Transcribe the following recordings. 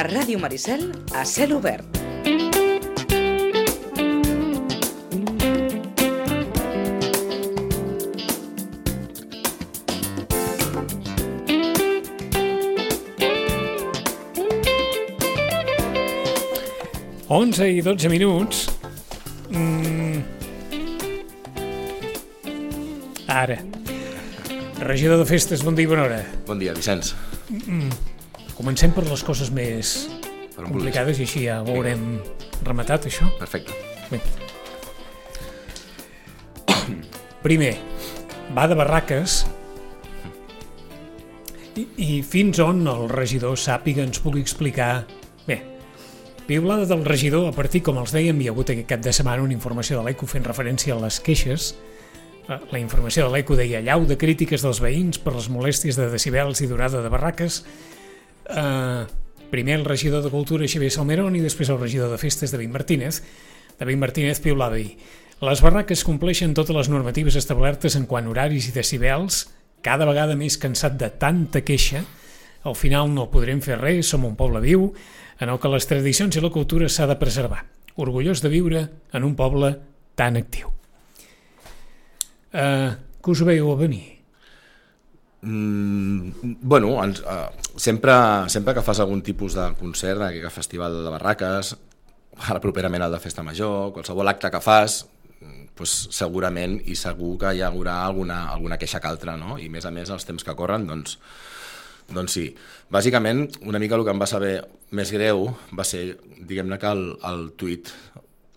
Ràdio Maricel a cel obert. Onze i 12 minuts. Ara. Regidor de festes, bon dia i bona hora. Bon dia, Vicenç. Comencem per les coses més complicades i així ja ho haurem rematat, això. Perfecte. Bé. Primer, va de barraques i fins on el regidor sàpiga ens pugui explicar. Bé, piulada del regidor, a partir, com els dèiem, hi ha hagut aquest cap de setmana una informació de l'ECO fent referència a les queixes. La informació de l'ECO deia allau de crítiques dels veïns per les molèsties de decibels i durada de barraques. Primer el regidor de Cultura, Xavier Salmerón, i després el regidor de Festes, David Martínez. David Martínez piulava i les barraques compleixen totes les normatives establertes en quant a horaris i decibels. Cada vegada més cansat de tanta queixa. Al final no podrem fer res, som un poble viu en el que les tradicions i la cultura s'ha de preservar. Orgullós de viure en un poble tan actiu. Que us veieu a venir? Bueno, sempre que fas algun tipus de concert, aquest festival de barraques, ara properament el de Festa Major, qualsevol acte que fas, doncs segurament i segur que hi haurà alguna queixa que altra, no? I més a més els temps que corren, doncs sí. Bàsicament, una mica el que em va saber més greu va ser, diguem-ne, que el tuit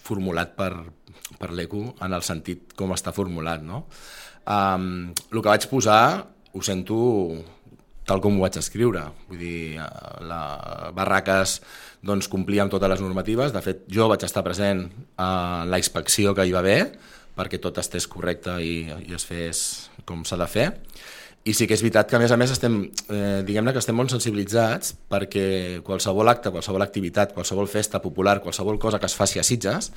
formulat per l'ECO en el sentit com està formulat, no? El que vaig posar ho sento tal com ho vaig escriure. Vull dir, barraques doncs, complia amb totes les normatives. De fet, jo vaig estar present a la inspecció que hi va haver perquè tot estés correcte i es fes com s'ha de fer. I sí que és veritat que, a més, estem molt sensibilitzats perquè qualsevol acte, qualsevol activitat, qualsevol festa popular, qualsevol cosa que es faci a Sitges,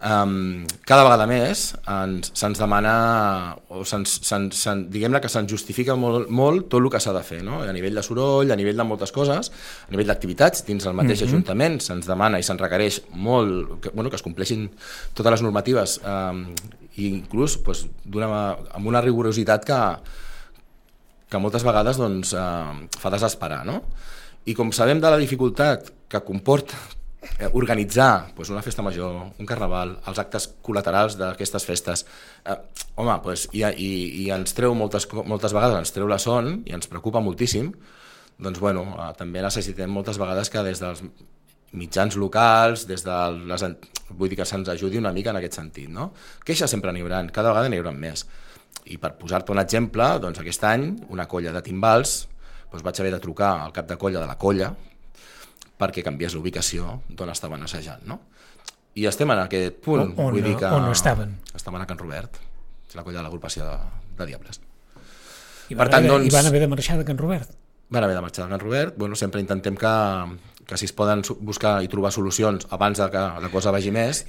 cada vegada més se'ns demana, o diguem-ne que se'ns justifica molt tot el que s'ha de fer, no? A nivell de soroll, a nivell de moltes coses, a nivell d'activitats, dins el mateix Ajuntament se'ns demana i se'ns requereix molt que es compleixin totes les normatives, i inclús amb una rigorositat que moltes vegades fa desesperar, no? I com sabem de la dificultat que comporta organitzar una festa major, un carnaval, els actes col·laterals d'aquestes festes, i ens treu moltes vegades, ens treu la son i ens preocupa moltíssim, doncs també necessitem moltes vegades que des dels mitjans locals, vull dir que se'ns ajudi una mica en aquest sentit, no? Queixes sempre n'hi haurà, cada vegada n'hi haurà més. I per posar-te un exemple, doncs aquest any una colla de timbals vaig haver de trucar al cap de colla de la colla perquè canviés l'ubicació d'on estaven assajant, no? I estem en aquest punt. On estaven? Estaven a Can Robert, la colla de l'agrupació de Diables. I van haver de marxar de Can Robert? Van haver de marxar de Can Robert. Sempre intentem que si es poden buscar i trobar solucions abans que la cosa vagi més,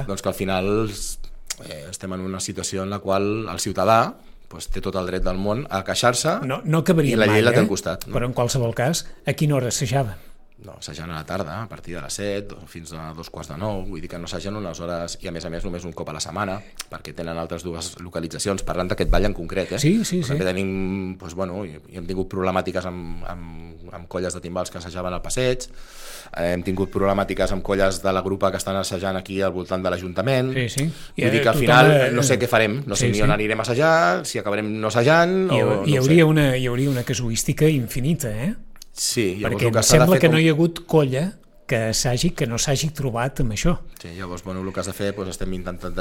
doncs que al final estem en una situació en la qual el ciutadà té tot el dret del món a queixar-se i la llei la té al costat. Però en qualsevol cas, a quina hora assajaven? No, assagen a la tarda, a partir de les 7 fins a 2:45, vull dir que no assagen unes hores i a més només un cop a la setmana, perquè tenen altres dues localitzacions, parlant d'aquest ball en concret, Sí. També tenim, i hem tingut problemàtiques amb colles de timbals que assajaven al passeig, hem tingut problemàtiques amb colles de la grupa que estan assajant aquí al voltant de l'Ajuntament. Sí. Vull dir que al final no sé què farem, no sé ni on anirem a assajar, si acabarem no assajant hi hauria una casuística infinita, Sí, perquè em sembla que no hi ha hagut colla que no s'hagi trobat amb això. Sí, llavors el que has de fer estem intentant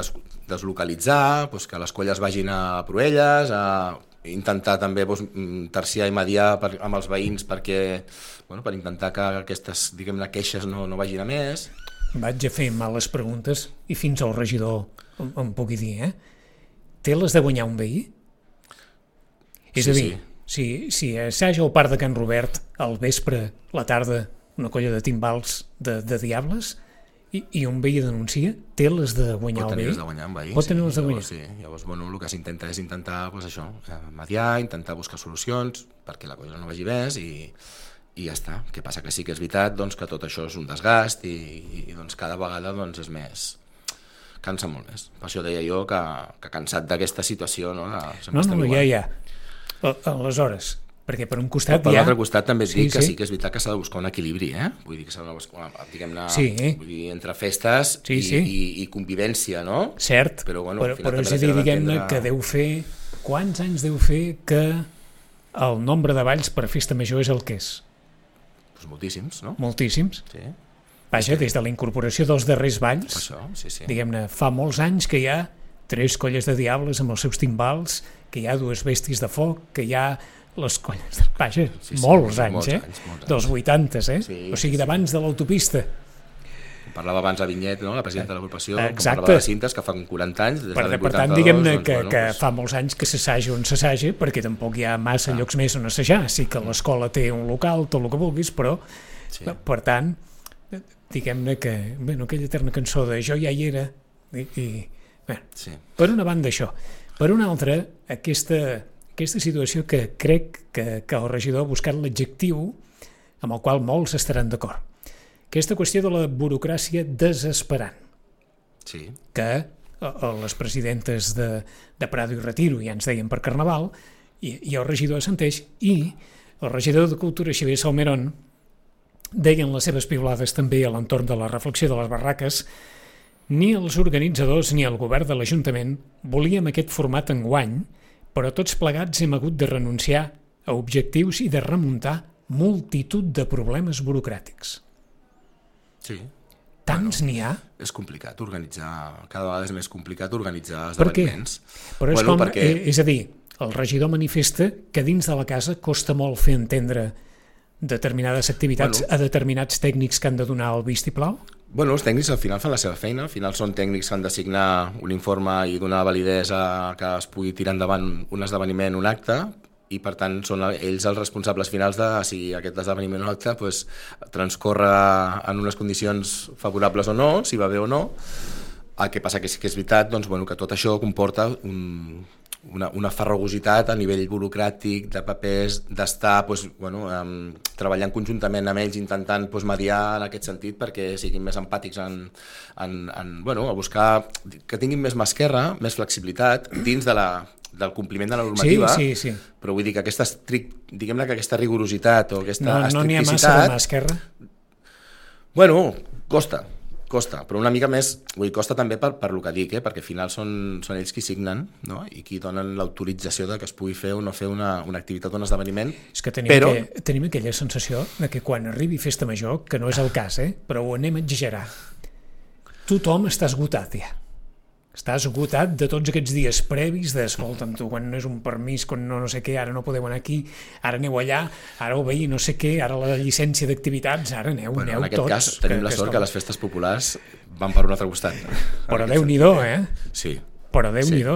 deslocalitzar, que les colles vagin a Proelles, a intentar també terciar i mediar amb els veïns per intentar que aquestes, diguem-ne, queixes no vagin a més. Vaig a fer males preguntes i fins al regidor em pugui dir, té les de guanyar un veí? És a dir, si assaja al parc de Can Robert al vespre, la tarda, una colla de timbals de Diables i un veí denuncia, té les de guanyar el veí? Pot tenir les de guanyar. Sí, llavors el que s'intenta és intentar mediar, intentar buscar solucions perquè la cosa no vagi més i ja està. Què passa? Que sí que és veritat doncs, que tot això és un desgast i doncs, cada vegada doncs, és més... cansa molt més. Per això deia jo que cansat d'aquesta situació... No, ja. Aleshores, perquè per un costat per l'altre costat també et dic que sí que és veritat que s'ha de buscar un equilibri, Vull dir que s'ha de buscar, diguem-ne, vull dir, entre festes i convivència, no? Cert, però és a dir, diguem-ne que deu fer... Quants anys deu fer que el nombre de balls per festa major és el que és? Doncs moltíssims, no? Moltíssims. Sí. Vaja, des de la incorporació dels darrers balls, això, sí. Diguem-ne, fa molts anys que hi ha 3 colles de diables amb els seus timbals, que hi ha 2 bèsties de foc, que hi ha les colles... Vaja, molts anys. Dels 80, Sí, o sigui, d'abans de l'autopista. Parlava abans a Vinyet, no? La presidenta de l'agrupació, que Exacte. parlava de cintes que fa 40 anys, des del 82. Per tant, diguem-ne que fa molts anys que s'assaja on s'assaja, perquè tampoc hi ha massa llocs més on assajar. Sí que l'escola té un local, tot el que vulguis, però, per tant, diguem-ne que, aquella eterna cançó de Jo ja hi era, per una banda això. Per una altra, aquesta situació que crec que el regidor ha buscat l'adjectiu amb el qual molts estaran d'acord. Aquesta qüestió de la burocràcia desesperant, que les presidentes de Prado i Retiro ja ens deien per Carnaval, i el regidor assenteix, i el regidor de Cultura, Xavier Salmerón, deien les seves piulades també a l'entorn de la reflexió de les barraques. Ni els organitzadors ni el govern de l'Ajuntament volíem aquest format enguany, però tots plegats hem hagut de renunciar a objectius i de remuntar multitud de problemes burocràtics. Sí. Tants n'hi ha? És complicat organitzar, cada vegada és més complicat organitzar esdeveniments. Per què? Però és a dir, el regidor manifesta que dins de la casa costa molt fer entendre determinades activitats a determinats tècnics que han de donar el vistiplau? Els tècnics al final fan la seva feina, al final són tècnics que han de signar un informe i donar validesa que es pugui tirar endavant un esdeveniment, un acte, i per tant són ells els responsables finals de si aquest esdeveniment o acte transcorre en unes condicions favorables o no, si va bé o no. El que passa que sí que és veritat que tot això comporta una farragositat a nivell burocràtic, de papers, d'estar treballant conjuntament amb ells, intentant mediar en aquest sentit perquè siguin més empàtics a buscar que tinguin més mà esquerra, més flexibilitat dins del compliment de la normativa, sí. Però vull dir que diguem-ne que aquesta rigorositat o aquesta estricticitat... No n'hi ha massa de mà esquerra? Costa, però una mica més, costa també per el que dic, perquè al final són ells qui signen, no? I qui donen l'autorització de que es pugui fer o no fer una activitat o un esdeveniment. És que tenim aquella sensació de que quan arribi Festa Major, que no és el cas, però ho anem a exagerar, tothom està esgotat ja. Estàs esgotat de tots aquests dies previs d'escolta'm tu, quan no és un permís, quan no sé què, ara no podeu anar aquí, ara aneu allà, ara ho veí, no sé què, ara la llicència d'activitats, ara aneu tots. En aquest cas tenim la sort que les festes populars van per un altre costat. Però Déu-n'hi-do, Sí. Però Déu-n'hi-do,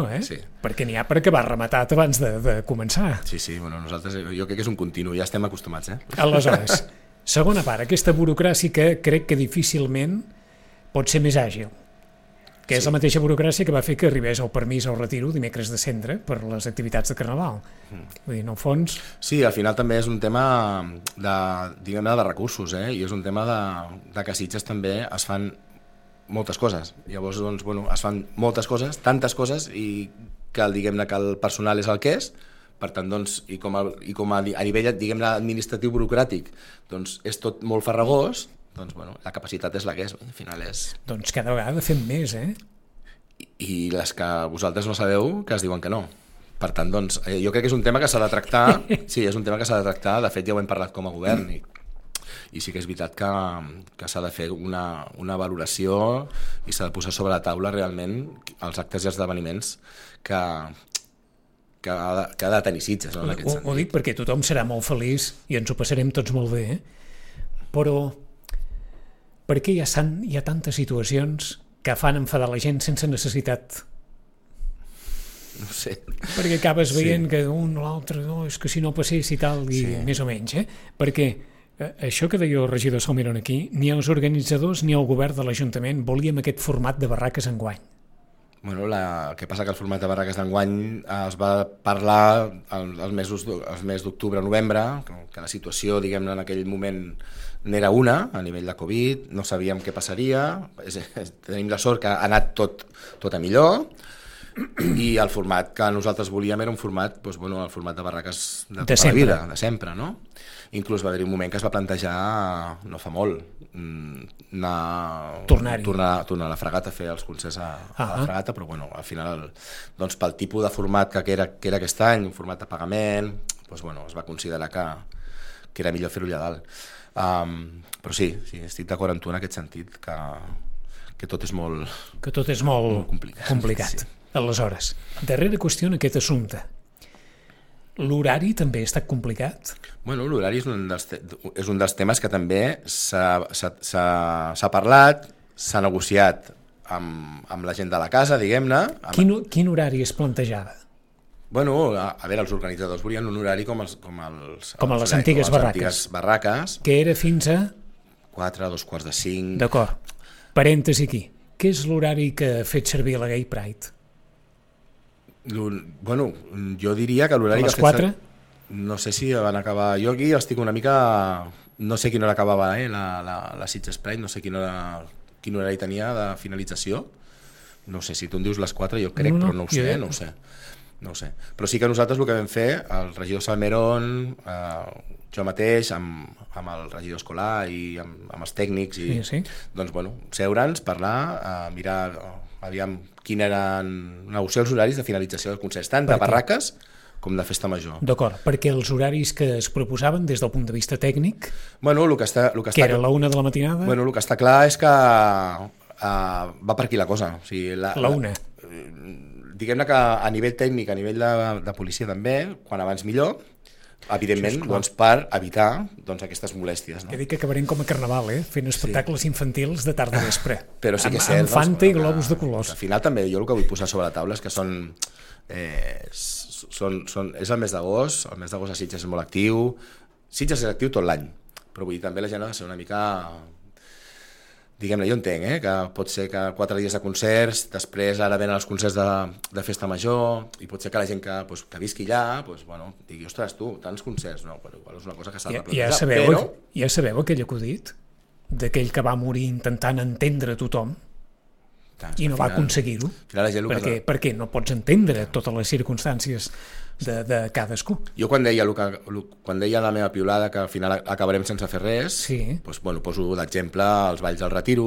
Perquè n'hi ha per acabar rematat abans de començar. Sí, nosaltres jo crec que és un continu, ja estem acostumats, Aleshores, segona part, aquesta burocràcia que crec que difícilment pot ser més àgil, que és la mateixa burocràcia que va fer que arribés el permís al retiro dimecres de cendre per les activitats de Carnaval. Vull dir, en el fons... Sí, al final també és un tema de recursos, i és un tema de que a Sitges també es fan moltes coses. Llavors, es fan moltes coses, tantes coses, i que diguem-ne que el personal és el que és, per tant, i com a nivell, diguem-ne, administratiu burocràtic, és tot molt farragós, la capacitat és la que és, al final és... Cada vegada fem més, I les que vosaltres no sabeu, que es diuen que no. Per tant, jo crec que és un tema que s'ha de tractar, sí, és un tema que s'ha de tractar, de fet ja ho hem parlat com a govern, i sí que és veritat que s'ha de fer una valoració i s'ha de posar sobre la taula realment els actes i esdeveniments que ha de tenir Sitges, no, en aquest sentit. Ho dic perquè tothom serà molt feliç i ens ho passarem tots molt bé, però per què hi ha tantes situacions que fan enfadar la gent sense necessitat? No sé. Perquè acabes veient que un o l'altre, és que si no passés i tal, i més o menys, perquè això que deia el regidor Salmerón aquí, ni els organitzadors ni el govern de l'Ajuntament volíem aquest format de barraques enguany. Bueno, el que passa que el format de barraques d'enguany es va parlar els mesos d'octubre, novembre, que la situació, diguem-ne, en aquell moment n'era una, a nivell de Covid, no sabíem què passaria, tenim la sort que ha anat tot a millor, i el format que nosaltres volíem era un format, doncs, bueno, el format de barraques de tota la vida, de sempre, no? Inclús va haver-hi un moment que es va plantejar, no fa molt, tornar a la Fragata a fer els concerts a la Fragata, però bueno, al final, doncs, pel tipus de format que era aquest any, un format de pagament, doncs, bueno, es va considerar que era millor fer-ho allà dalt. Però sí, estic d'acord amb tu en aquest sentit, que tot és molt... Que tot és molt complicat. Sí. Aleshores, darrera qüestió en aquest assumpte. L'horari també ha estat complicat? Bueno, l'horari és un dels temes que també s'ha parlat, s'ha negociat amb la gent de la casa, diguem-ne. Quin horari es plantejava? Bueno, a veure, els organitzadors volien un horari com a les antigues barraques. Que era fins a... 4, 2:45... D'acord. Parèntesi aquí. Què és l'horari que ha fet servir la Gay Pride? Bueno, jo diria que l'horari que ha fet... A les 4? No sé si van acabar... Jo aquí estic una mica... No sé quina hora acabava la Sitges Pride, no sé quin horari tenia de finalització. No sé, si tu em dius les 4, jo crec, però no ho sé. Però sí que nosaltres el que vam fer, el regidor Salmerón, jo mateix, amb el regidor escolar i amb els tècnics, doncs, bueno, seure'ns, parlar, mirar, aviam quin eren, negociar els horaris de finalització dels concerts, tant de barraques com de festa major. D'acord, perquè els horaris que es proposaven des del punt de vista tècnic, bueno, que era la 1 de la matinada... Bueno, el que està clar és que va per aquí la cosa. O sigui, la 1. Diguem-ne que a nivell tècnic, a nivell de policia també, quan abans millor, evidentment, doncs, per evitar aquestes molèsties. No? He dit que acabarem com a carnaval, fent espectacles infantils de tarda a vespre. Però sí que és cert, amb Fanta i globus de colors. Al final també jo el que vull posar sobre la taula és que és el mes d'agost, el mes d'agost a Sitges és molt actiu, Sitges és actiu tot l'any, però vull dir, també la gent ha de ser una mica... Diguem-ne, jo entenc, que pot ser que 4 dies de concerts, després ara venen els concerts de festa major, i pot ser que la gent que visqui allà, bueno, digui, ostres, tu, tants concerts, no, però igual és una cosa que s'ha de plantejar. Ja sabeu aquell acudit d'aquell que va morir intentant entendre tothom i no va aconseguir-ho? Perquè no pots entendre totes les circumstàncies de cadascú. Jo quan deia la meva piulada que al final acabarem sense fer res, doncs, bueno, poso d'exemple els balls del Retiro,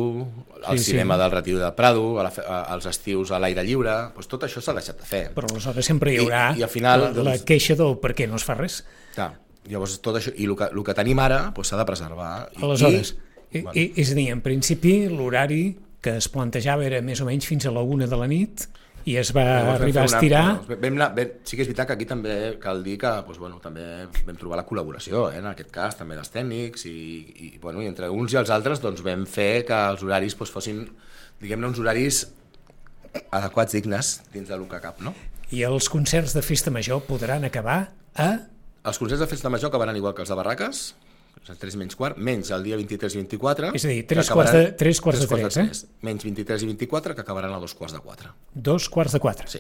el cinema del Retiro de Prado, els estius a l'aire lliure, doncs tot això s'ha deixat de fer. Però aleshores sempre hi haurà la queixa del per què no es fa res. Llavors tot això, i el que tenim ara s'ha de preservar. Aleshores, és a dir, en principi l'horari que es plantejava era més o menys fins a la 1 de la nit, i es va arribar a estirar... Sí que és veritat que aquí també cal dir que també vam trobar la col·laboració, en aquest cas, també dels tècnics, i entre uns i els altres vam fer que els horaris fossin, diguem-ne, uns horaris adequats, dignes, dins del que cap, no? I els concerts de festa major podran acabar a... Els concerts de festa major acabaran igual que els de barraques, 3 menys quart, menys el dia 23 i 24... És a dir, 3 quarts de 3, menys 23 i 24, que acabaran a 2:15. 2:15. Sí.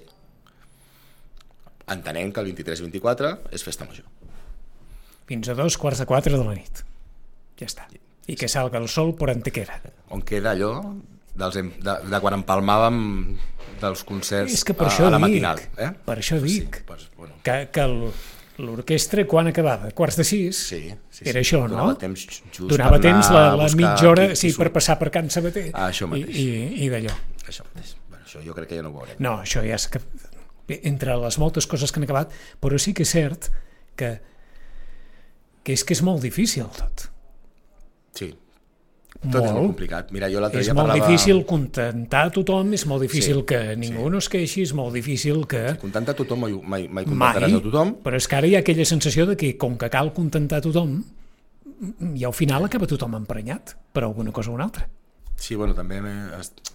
Entenent que el 23 i 24 és festa major. Fins a 2:15 de la nit. Ja està. I que salga el sol por Antequera. On queda allò de quan empalmàvem dels concerts a la matinal. Per això dic que l'orquestra quan acabava? Quarts de 6? Sí. Era això, no? Donava temps la mitja hora per passar per Can Sabater. Això mateix. I d'allò. Això mateix. Això jo crec que ja no ho veurem. No, això ja és que... Entre les moltes coses que han acabat, però sí que és cert que és molt difícil tot. Sí. Tot és molt complicat. Mira, jo l'altre dia parlava... És molt difícil contentar a tothom, és molt difícil que ningú no es queixi, és molt difícil que... Contentar a tothom mai contentaràs a tothom. Però és que ara hi ha aquella sensació de que, com que cal contentar a tothom, i al final acaba tothom emprenyat per alguna cosa o una altra. Sí, bueno, també...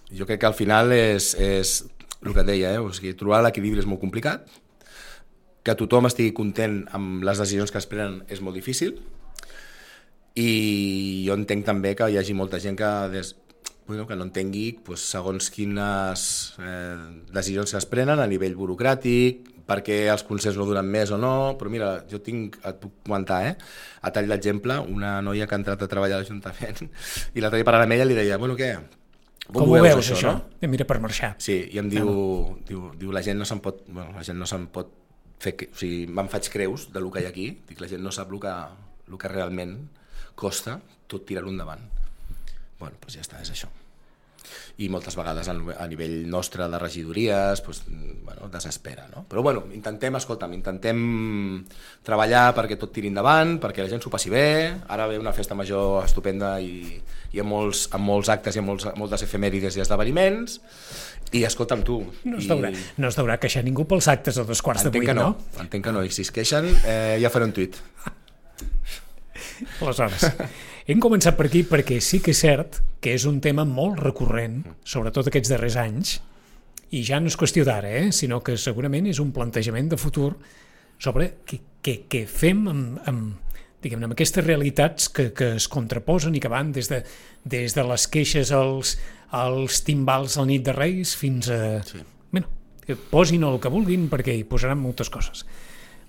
Jo crec que al final és el que et deia, o sigui, trobar l'equilibri és molt complicat, que tothom estigui content amb les decisions que es prenen és molt difícil, i jo entenc també que hi hagi molta gent que que no entengui segons quines decisions que es prenen a nivell burocràtic, perquè els concerts no duren més o no, però mira, et puc comentar, a tall d'exemple, una noia que ha entrat a treballar a l'Ajuntament i l'altre dia parlant amb ella li deia, bueno, què? Com ho veus això? No? Mira per marxar. Sí, i em diu la gent no se'n pot, fer, o sigui, me'n faig creus del que hi ha aquí, dic, la gent no sap el que realment costa tot tirar-ho endavant. Bueno, doncs ja està, és això. I moltes vegades a nivell nostre de regidories desespera, no? Però intentem treballar perquè tot tiri endavant, perquè la gent s'ho passi bé. Ara ve una festa major estupenda i amb molts actes i amb moltes efemèrides i esdeveniments, i escolta'm tu... No es deurà queixar ningú pels actes a 7:45, no? Entenc que no, i si es queixen ja faré un tuit. Aleshores, hem començat per aquí perquè sí que és cert que és un tema molt recurrent, sobretot aquests darrers anys, i ja no és qüestió d'ara, sinó que segurament és un plantejament de futur sobre què fem amb aquestes realitats que es contraposen i que van des de les queixes als timbals a la nit de Reis fins a... Sí. Que posin el que vulguin perquè hi posaran moltes coses.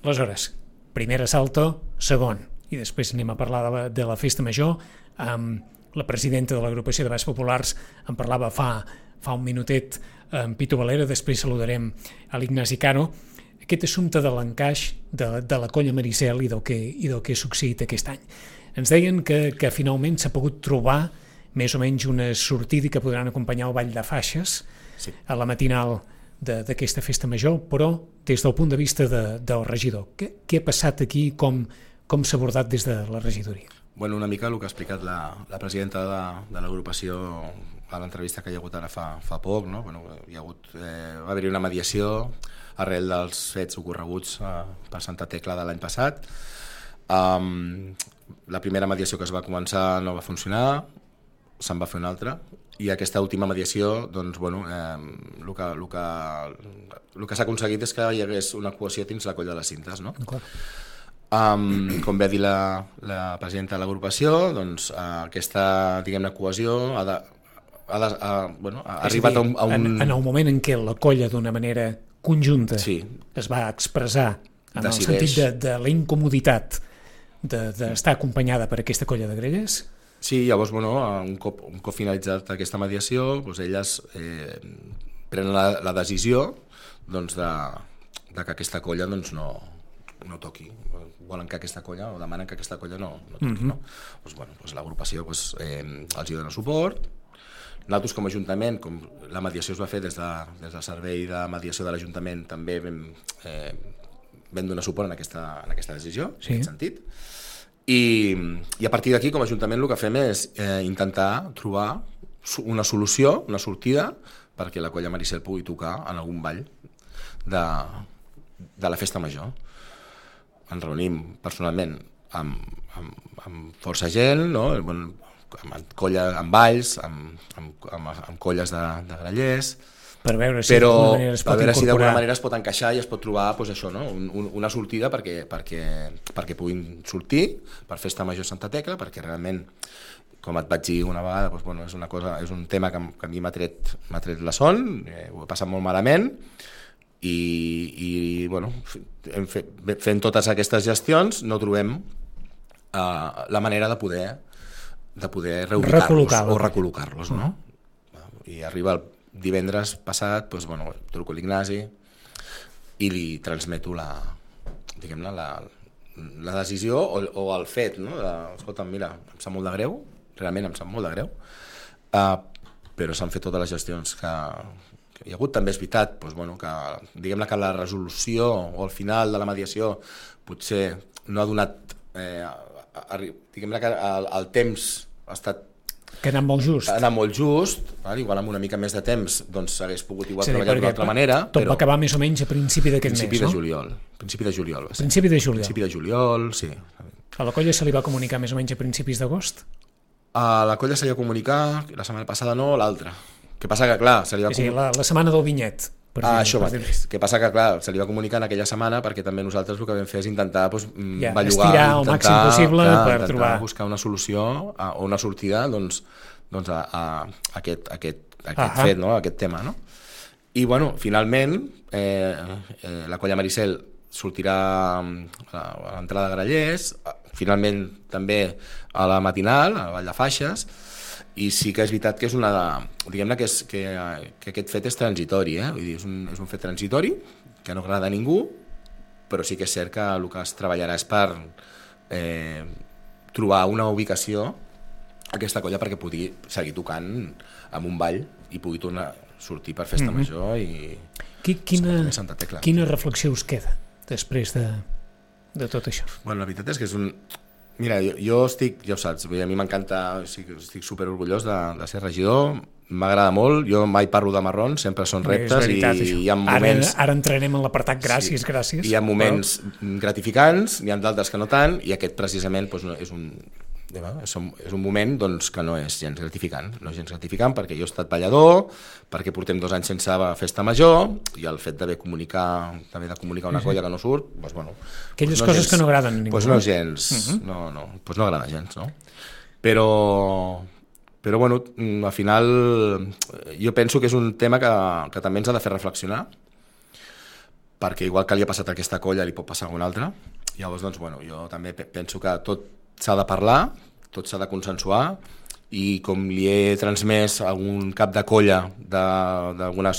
Aleshores, primer assalto, segon, i després anem a parlar de la festa major. La presidenta de l'agrupació de Balls Populars en parlava fa un minutet, en Pitu Valera, després saludarem a l'Ignasi Cano. Aquest assumpte de l'encaix de la colla Maricel i del que ha succeït aquest any. Ens deien que finalment s'ha pogut trobar més o menys una sortida que podran acompanyar el ball de faixes, sí, a la matinal d'aquesta festa major, però des del punt de vista del regidor. Què ha passat aquí, com s'ha abordat des de la regidoria? Bueno, una mica el que ha explicat la presidenta de l'agrupació a l'entrevista que hi ha hagut ara fa poc, no? Va haver-hi una mediació arrel dels fets ocorreguts per Santa Tecla de l'any passat. La primera mediació que es va començar no va funcionar, se'n va fer una altra, i aquesta última mediació, doncs, el que s'ha aconseguit és que hi hagués una cohesió dins la colla de les cintes, no? Com ve a dir la presidenta de l'agrupació, doncs aquesta, diguem-ne, cohesió ha arribat a un... En el moment en què la colla d'una manera conjunta sí, es va expressar en el sentit de la incomoditat d'estar acompanyada per aquesta colla de grelles. Sí, llavors, un cop finalitzat aquesta mediació, doncs elles prenen la decisió de que aquesta colla no toqui. Volen que aquesta colla, o demanen que aquesta colla no toqui. No? Doncs l'agrupació els hi dona suport. Nosaltres com a Ajuntament, com la mediació es va fer des del servei de mediació de l'Ajuntament, també vam donar suport en aquesta decisió, sí, en aquest sentit. I a partir d'aquí, com a Ajuntament, el que fem és intentar trobar una solució, una sortida, perquè la colla Maricel pugui tocar en algun ball de la festa major. Ens reunim personalment amb força gent, no? Amb balls, amb colles de grallers, per veure si d'alguna manera es pot encaixar i es pot trobar això, no? Una sortida perquè puguin sortir per festa major Santa Tecla, perquè realment, com et vaig dir una vegada, és un tema que a mi m'ha tret la son, ho he passat molt malament, i fent totes aquestes gestions no trobem la manera de poder reubicar-los o recol·locar-los, no? I arriba el divendres passat, truco a l'Ignasi i li transmeto la decisió o el fet, no? Escolta, mira, em sap molt de greu, realment em sap molt de greu, però s'han fet totes les gestions que hi ha hagut. També és veritat que, diguem-ne, que la resolució o el final de la mediació potser no ha donat, diguem-ne que el temps ha estat... Que ha anat molt just. Ha anat molt just, igual amb una mica més de temps s'hagués pogut treballar d'una altra manera. Tot va acabar més o menys a principi d'aquest mes, no? Principi de juliol. Principi de juliol. Principi de juliol, sí. A la colla se li va comunicar més o menys a principis d'agost? A la colla se li va comunicar, la setmana passada no, l'altra. Que passa que, clar, se li va comunicar... la setmana del vinyet. Això mateix. Que passa que, clar, se li va comunicar en aquella setmana perquè també nosaltres el que vam fer és intentar bellugar, estirar el màxim possible per trobar... buscar una solució o una sortida doncs, a aquest fet, no? Aquest tema, no? I, bueno, finalment, la colla Maricel sortirà a l'entrada de Grallers, finalment també a la matinal, a la Vall de Faixes, i sí que és veritat que és diguem-ne que aquest fet és transitori, vull dir, és un fet transitori, que no agrada a ningú, però sí que és cert que el que es treballarà és per trobar una ubicació a aquesta colla perquè pugui seguir tocant amb un ball i pugui tornar a sortir per festa major i Santa Tecla. Quina reflexió us queda després de tot això? Bueno, la veritat és que és un... Mira, jo estic, ja ho saps, a mi m'encanta, estic superorgullós de ser regidor, m'agrada molt, jo mai parlo de marrons, sempre són reptes veritat, i hi ha moments... Ara entrarem en l'apartat gràcies. Hi ha moments gratificants, n'hi ha d'altres que no tant, i aquest precisament és un moment doncs, que no és gens gratificant. No és gens gratificant perquè jo he estat ballador, perquè portem 2 anys sense festa major, i el fet d'haver de comunicar una colla que no surt, doncs, bueno... Aquelles coses que no agraden a ningú. Doncs no és gens, doncs no agrada gens, no? Però bueno, al final jo penso que és un tema que també ens ha de fer reflexionar, perquè igual que li ha passat a aquesta colla li pot passar a una altra. Llavors, doncs, bueno, jo també penso que tot s'ha de parlar, tot s'ha de consensuar, i com li he transmès a algun cap de colla d'alguna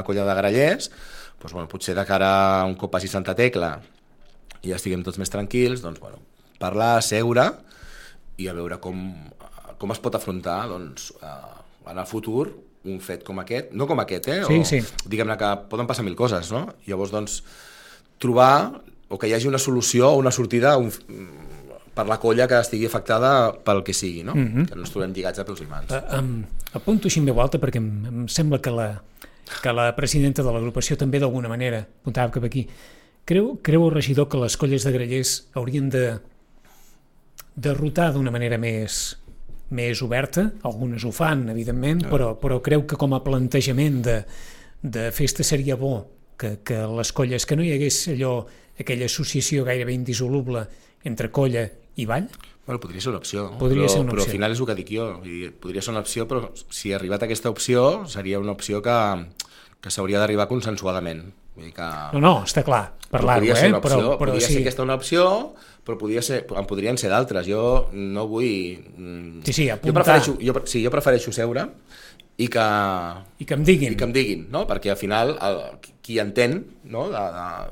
colla de Grallers, doncs, bueno, potser de cara a un cop passi Santa Tecla i ja estiguem tots més tranquils, doncs, bueno, parlar, seure i a veure com es pot afrontar doncs, en el futur un fet com aquest, no com aquest, sí. Diguem-ne que poden passar 1000 coses, no? Llavors, doncs, trobar o que hi hagi una solució o una sortida per la colla que estigui afectada pel que sigui, no? Que no ens trobem lligats a peus i mans. Apunto així en veu alta perquè em sembla que la presidenta de l'agrupació també d'alguna manera apuntava cap aquí. Creu el regidor que les colles de Grallers haurien de rotar d'una manera més oberta? Algunes ho fan, evidentment, però creu que com a plantejament de festa seria bo que les colles, que no hi hagués aquella associació gairebé indissoluble entre colla i ball? Bueno, podria ser una opció, però al final és el que dic jo. Podria ser una opció, però si ha arribat a aquesta opció, seria una opció que s'hauria d'arribar consensuadament. Vull dir que... No, està clar, parlar-ho, però podria ser aquesta una opció, però en podrien ser d'altres. Jo no vull... Sí, apuntar. Jo prefereixo seure i que em diguin, no? Perquè al final qui entén, no?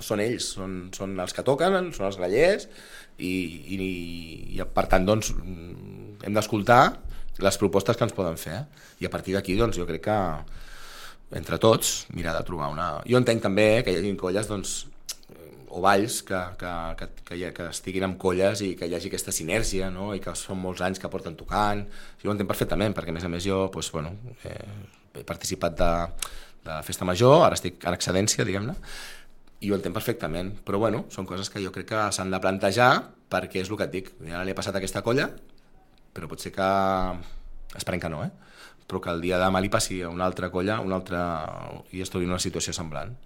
Són ells, són els que toquen, són els grallers, i per tant doncs, hem d'escoltar les propostes que ens poden fer, i a partir d'aquí doncs, jo crec que entre tots mirar de trobar una... Jo entenc també que hi hagi colles doncs, o balls que estiguin amb colles i que hi hagi aquesta sinèrgia, no? I que són molts anys que porten tocant. Jo ho entenc perfectament, perquè a més jo doncs, bueno, he participat de festa major, ara estic en excedència, diguem-ne, i ho entenc perfectament, però bueno, són coses que jo crec que s'han de plantejar, perquè és el que et dic, ara li ha passat a aquesta colla, però pot ser que, esperem que no, però que el dia de demà li passi a una altra colla, i es trobi en una situació semblant.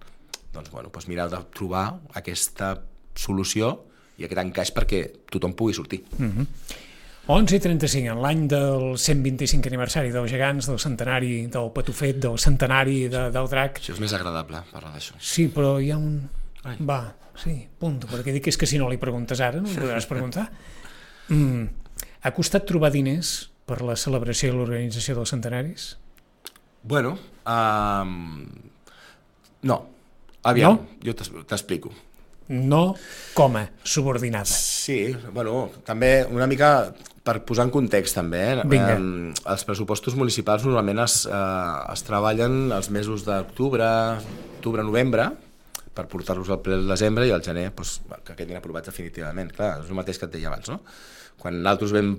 Doncs bueno, doncs mirar de trobar aquesta solució i aquest encaix perquè tothom pugui sortir. 11:35, en l'any del 125 aniversari dels gegants, del centenari del Patufet, del centenari del drac... Això és més agradable, parlar d'això. Sí, però hi ha un... Va, sí, punt, perquè dic que si no li preguntes ara, no li podràs preguntar. Ha costat trobar diners per la celebració i l'organització dels centenaris? Bueno, no. Aviam, jo t'explico. No com a subordinada. Sí, bueno, també una mica per posar en context també. Els pressupostos municipals normalment es treballen els mesos d'octubre, novembre, per portar-los al ple del desembre i al gener doncs, que quedin aprovats definitivament. Clar, és el mateix que et deia abans, no? Quan nosaltres vam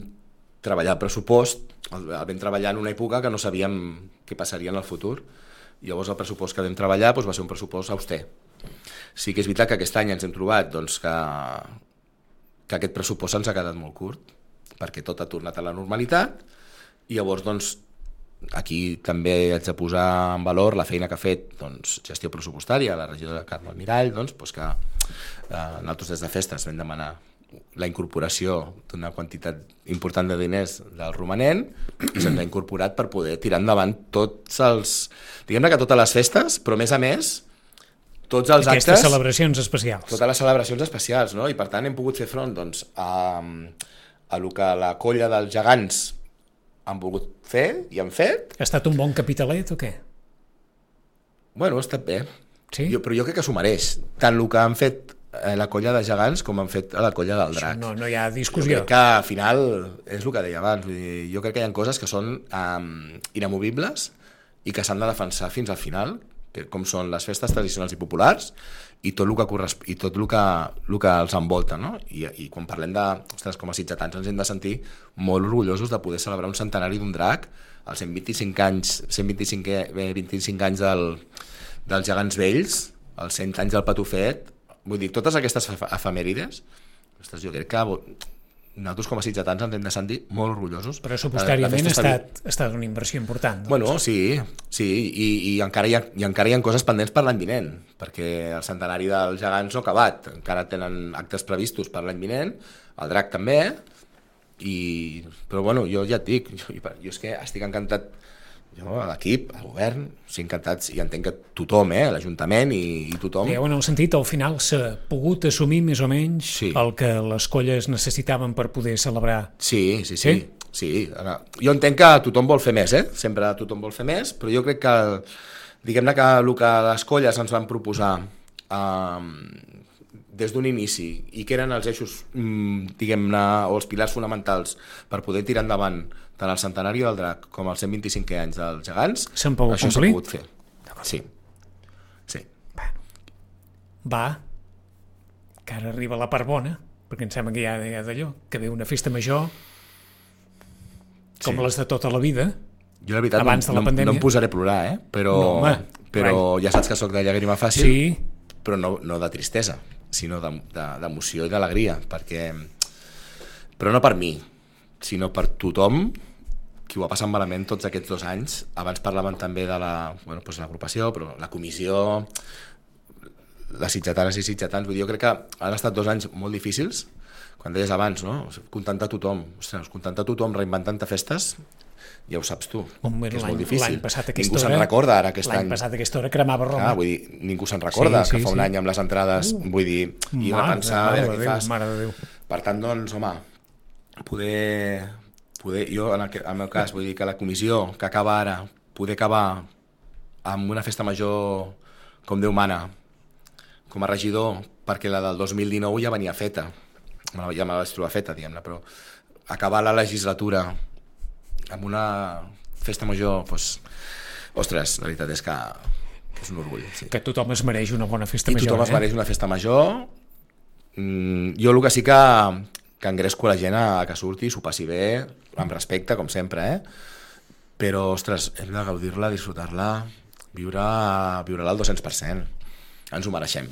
treballar el pressupost, el vam treballar en una època que no sabíem què passaria en el futur. Llavors el pressupost que vam treballar doncs, va ser un pressupost auster. Sí que és veritat que aquest any ens hem trobat doncs, que aquest pressupost ens ha quedat molt curt, perquè tot ha tornat a la normalitat, i llavors doncs, aquí també haig de posar en valor la feina que ha fet doncs, gestió pressupostària, la regidora Carme Almirall, doncs, que nosaltres des de festes vam demanar la incorporació d'una quantitat important de diners del romanent i se'ns ha incorporat per poder tirar endavant tots els... Diguem-ne que totes les festes, però a més, tots els Aquestes actes... celebracions especials. Totes les celebracions especials, no? I per tant hem pogut fer front doncs, a lo que la colla dels gegants han volgut fer i han fet. Ha estat un bon capitalet o què? Bueno, ha estat bé. Sí? Però jo crec que s'ho mereix. Tant el que han fet la colla de gegants com han fet a la colla del drac. No hi ha Jo discussió. crec que al final és el que deia abans. Vull dir, jo crec que hi ha coses que són inamovibles i que s'han de defensar fins al final, com són les festes tradicionals i populars i tot el que els envolta, no? I quan parlem de, ostres, com a sitgetans ens hem de sentir molt orgullosos de poder celebrar un centenari d'un drac, els 125 anys dels gegants vells, els 100 anys del Patufet, vull dir, totes aquestes efemèrides, ostres, jo crec que nosaltres com a sitgetans ens hem de sentir molt orgullosos. Pressupostàriament ha estat una inversió important. Doncs. Bueno, sí, i encara hi ha coses pendents per l'any vinent, perquè el centenari dels gegants no ha acabat, encara tenen actes previstos per l'any vinent, el drac també, però bueno, jo ja et dic, jo és que estic encantat, jo, a l'equip, al govern, estic encantats, i entenc que tothom, l'Ajuntament i tothom... Digueu, en el sentit, al final s'ha pogut assumir més o menys el que les colles necessitaven per poder celebrar. Sí. Ara, jo entenc que tothom vol fer més, sempre tothom vol fer més, però jo crec que, diguem-ne que el que les colles ens van proposar des d'un inici, i que eren els eixos, diguem-ne, o els pilars fonamentals per poder tirar endavant tant el centenari del drac com els 125 anys dels gegants, això s'ha pogut fer. Sí. Va, que ara arriba la part bona, perquè em sembla que hi ha d'allò, que ve una festa major, com les de tota la vida, jo la veritat abans de la pandèmia. No em posaré a plorar, però ja saps que sóc de llàgrima fàcil, però no de tristesa, sinó d'emoció i d'alegria, però no per mi, sinó per tothom qui ho va passar malament tots aquests 2 anys. Abans parlaven també de l'agrupació, però la comissió, les sitgetanes i sitgetans, vull dir, jo crec que han estat 2 anys molt difícils, quan deies abans, no? Contentar tothom, reinventant-te festes, ja ho saps tu, que és molt difícil. Ningú se'n recorda ara aquest any. L'any passat a aquesta hora cremava Roma. Vull dir, ningú se'n recorda que fa un any amb les entrades, vull dir, i va pensar a veure què fas. Mare de Déu. Per tant, doncs, home, poder jo, en el meu cas, vull dir que la comissió que acaba ara, poder acabar amb una festa major com Déu mana, com a regidor, perquè la del 2019 ja venia feta, ja me la vaig trobar feta, diguem-ne, però acabar la legislatura amb una festa major, doncs, ostres, la veritat és que és un orgull. Sí. Que tothom es mereix una bona festa major. I tothom es mereix una festa major. Jo el que sí que engresco la gent a que surti, s'ho passi bé, amb respecte, com sempre, però, ostres, hem de gaudir-la, disfrutar-la, viure-la al 200%. Ens ho mereixem.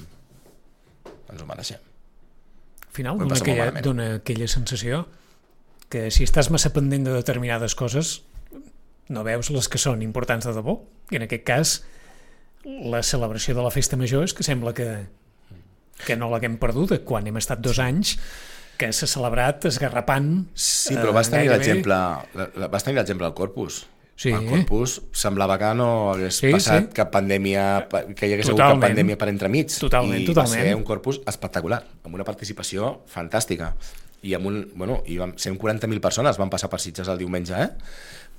Al final dona aquella sensació que si estàs massa pendent de determinades coses no veus les que són importants de debò, i en aquest cas la celebració de la festa major és que sembla que no l'haguem perduda quan hem estat 2 anys que s'ha celebrat esgarrapant. Sí, però vas tenir l'exemple del Corpus. Sí. El Corpus semblava que no hagués passat cap pandèmia, que hi hagués hagut cap pandèmia per entremig. Totalment. Va ser un Corpus espectacular, amb una participació fantàstica. I vam ser 40.000 persones, van passar per Sitges el diumenge,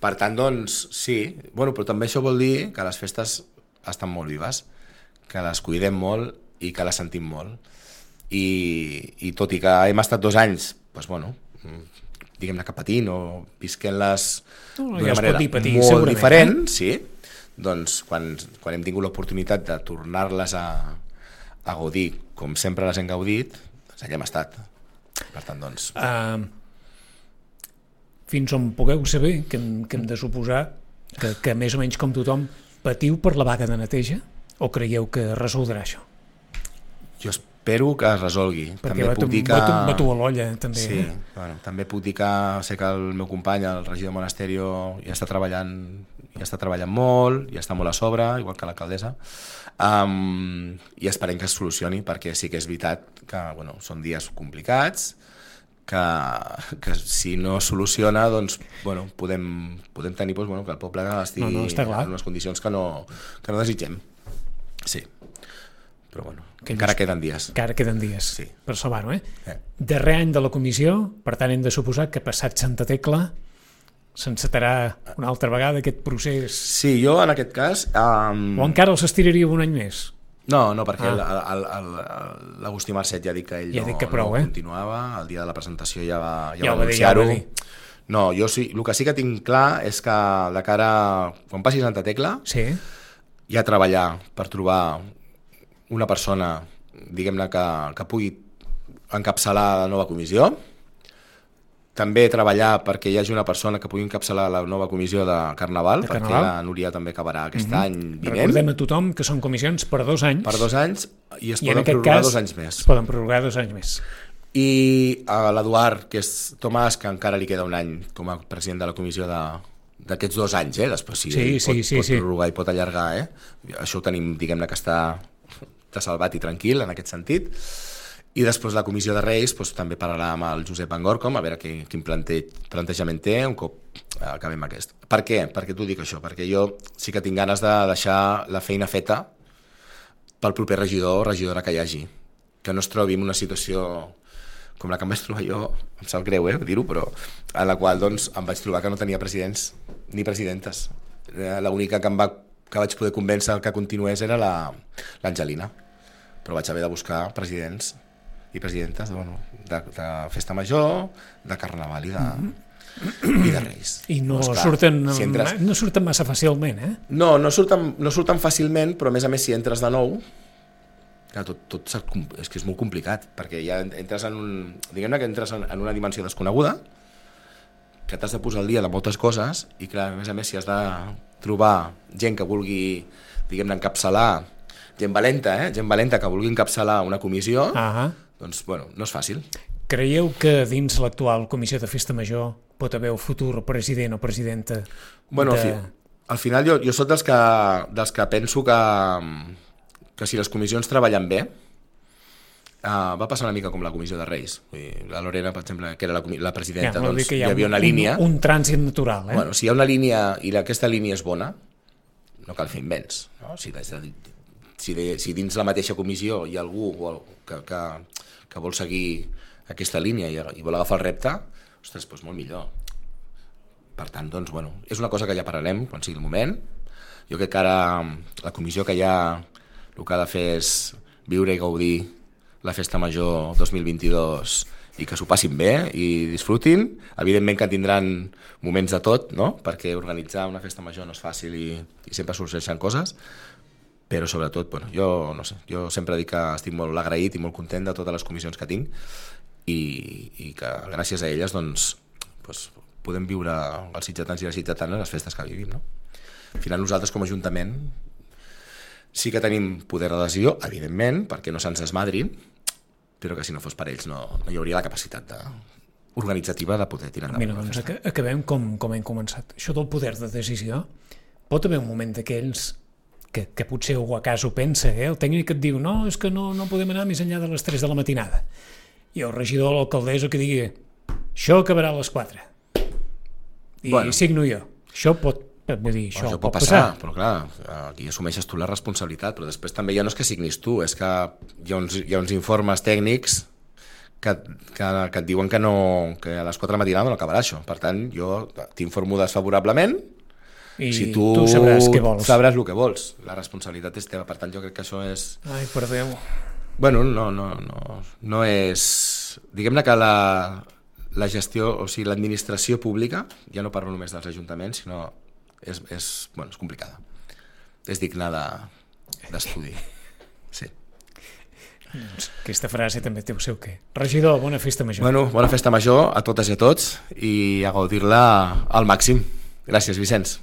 Per tant, doncs, sí. Però també això vol dir que les festes estan molt vives, que les cuidem molt i que les sentim molt. I tot i que hem estat 2 anys, diguem-ne que patint o visquent-les d'una manera molt diferent, sí, doncs quan hem tingut l'oportunitat de tornar-les a gaudir com sempre les hem gaudit, doncs allà hem estat. Per tant, doncs... Fins on pugueu saber, que hem de suposar que més o menys com tothom patiu per la vaga de neteja, o creieu que resoldrà això? Jo espero que es resolgui. Perquè batu a l'olla, també. Sí, també puc dir que sé que el meu company, el regidor Monasterio, ja està treballant molt, ja està molt a sobre, igual que l'alcaldessa, i esperem que es solucioni, perquè sí que és veritat que són dies complicats, que si no es soluciona, doncs, bueno, podem tenir doncs, bueno, que el poble estigui en unes condicions que no desitgem. Sí. Però bueno, encara queden dies. Encara queden dies, sí. Per salvar-ho, Darrer any de la comissió, per tant hem de suposar que passat Santa Tecla s'encetarà una altra vegada aquest procés. Sí, jo en aquest cas... O encara els estiraria un any més? No, perquè l'Agustí Marcet ja ha dit que ell no continuava, el dia de la presentació ja va anunciar-ho. No, jo sí, el que sí que tinc clar és que de cara, quan passi Santa Tecla, ja treballar per trobar una persona, diguem-ne, que pugui encapçalar la nova comissió, també treballar perquè hi hagi una persona que pugui encapçalar la nova comissió de Carnaval, perquè la Núria també acabarà aquest any vinent. Recordem a tothom que són comissions per 2 anys. Per 2 anys i es poden prorrogar 2 anys més. Es poden prorrogar 2 anys més. I a l'Eduard, que és Tomàs, que encara li queda un any com a president de la comissió d'aquests 2 anys, després pot prorrogar i pot allargar, això ho tenim, diguem-ne, que està salvat i tranquil en aquest sentit. I després la comissió de Reis també parlarà amb el Josep Angorcom a veure quin plantejament té un cop acabem aquest. Per què? Per què t'ho dic això? Perquè jo sí que tinc ganes de deixar la feina feta pel proper regidor o regidora que hi hagi. Que no es trobi en una situació com la que em vaig trobar jo, em sap greu dir-ho, però en la qual em vaig trobar que no tenia presidents ni presidentes. L'única que vaig poder convèncer que continués era l'Angelina, però vaig haver de buscar presidents i presidentes de Festa Major, de Carnaval i de Reis. I no surten massa fàcilment, No surten fàcilment, però a més si entres de nou, tot és que és molt complicat, perquè ja entres diguem-ne que entres en una dimensió desconeguda, que t'has de posar al dia de moltes coses, i clar, a més si has de trobar gent que vulgui, diguem-ne, encapçalar, gent valenta que vulgui encapçalar una comissió, doncs, no és fàcil. Creieu que dins l'actual comissió de Festa Major pot haver un futur president o presidenta? Al final jo soc dels que penso que si les comissions treballen bé, va passar una mica com la comissió de Reis. La Lorena, per exemple, que era la presidenta, hi havia una línia... Un trànsit natural, si hi ha una línia i aquesta línia és bona, no cal fer invents, no? Si dins la mateixa comissió hi ha algú que vol seguir aquesta línia i vol agafar el repte, ostres, doncs molt millor. Per tant, és una cosa que ja parlarem quan sigui el moment. Jo crec que ara la comissió que ja el que ha de fer és viure i gaudir la Festa Major 2022 i que s'ho passin bé i disfrutin. Evidentment que tindran moments de tot, no? Perquè organitzar una Festa Major no és fàcil i sempre sorgeixen coses, però sobretot, jo sempre dic que estic molt agraït i molt content de totes les comissions que tinc i que gràcies a elles podem viure els sitgetans i les sitgetanes les festes que vivim, no? Al final nosaltres com a Ajuntament sí que tenim poder de decisió, evidentment, perquè no se'ns desmadrin, però que si no fos per ells no hi hauria la capacitat organitzativa de poder tirar endavant. Mira, acabem com hem començat. Això del poder de decisió, pot haver un moment d'aquells que potser algú a casa ho pensa, el tècnic et diu no, és que no podem anar més enllà de les 3 de la matinada, i el regidor o l'alcaldessa que digui això acabarà a les 4 i signo jo. Això pot passar, però clar, aquí assumeixes tu la responsabilitat, però després també ja no és que signis tu, és que hi ha uns informes tècnics que et diuen que a les 4 de la matinada no acabarà això. Per tant, jo t'informo desfavorablement i si tu sabràs què vols. Sabràs el que vols. La responsabilitat és teva, per tant jo crec que això és... Ai, per Déu. No és... Diguem-ne que la gestió, o sigui, l'administració pública, ja no parlo només dels ajuntaments, sinó és complicada. És digna d'estudi. Sí. Doncs aquesta frase també té el seu què. Regidor, bona Festa Major. Bona Festa Major a totes i a tots i a gaudir-la al màxim. Gràcies, Vicenç.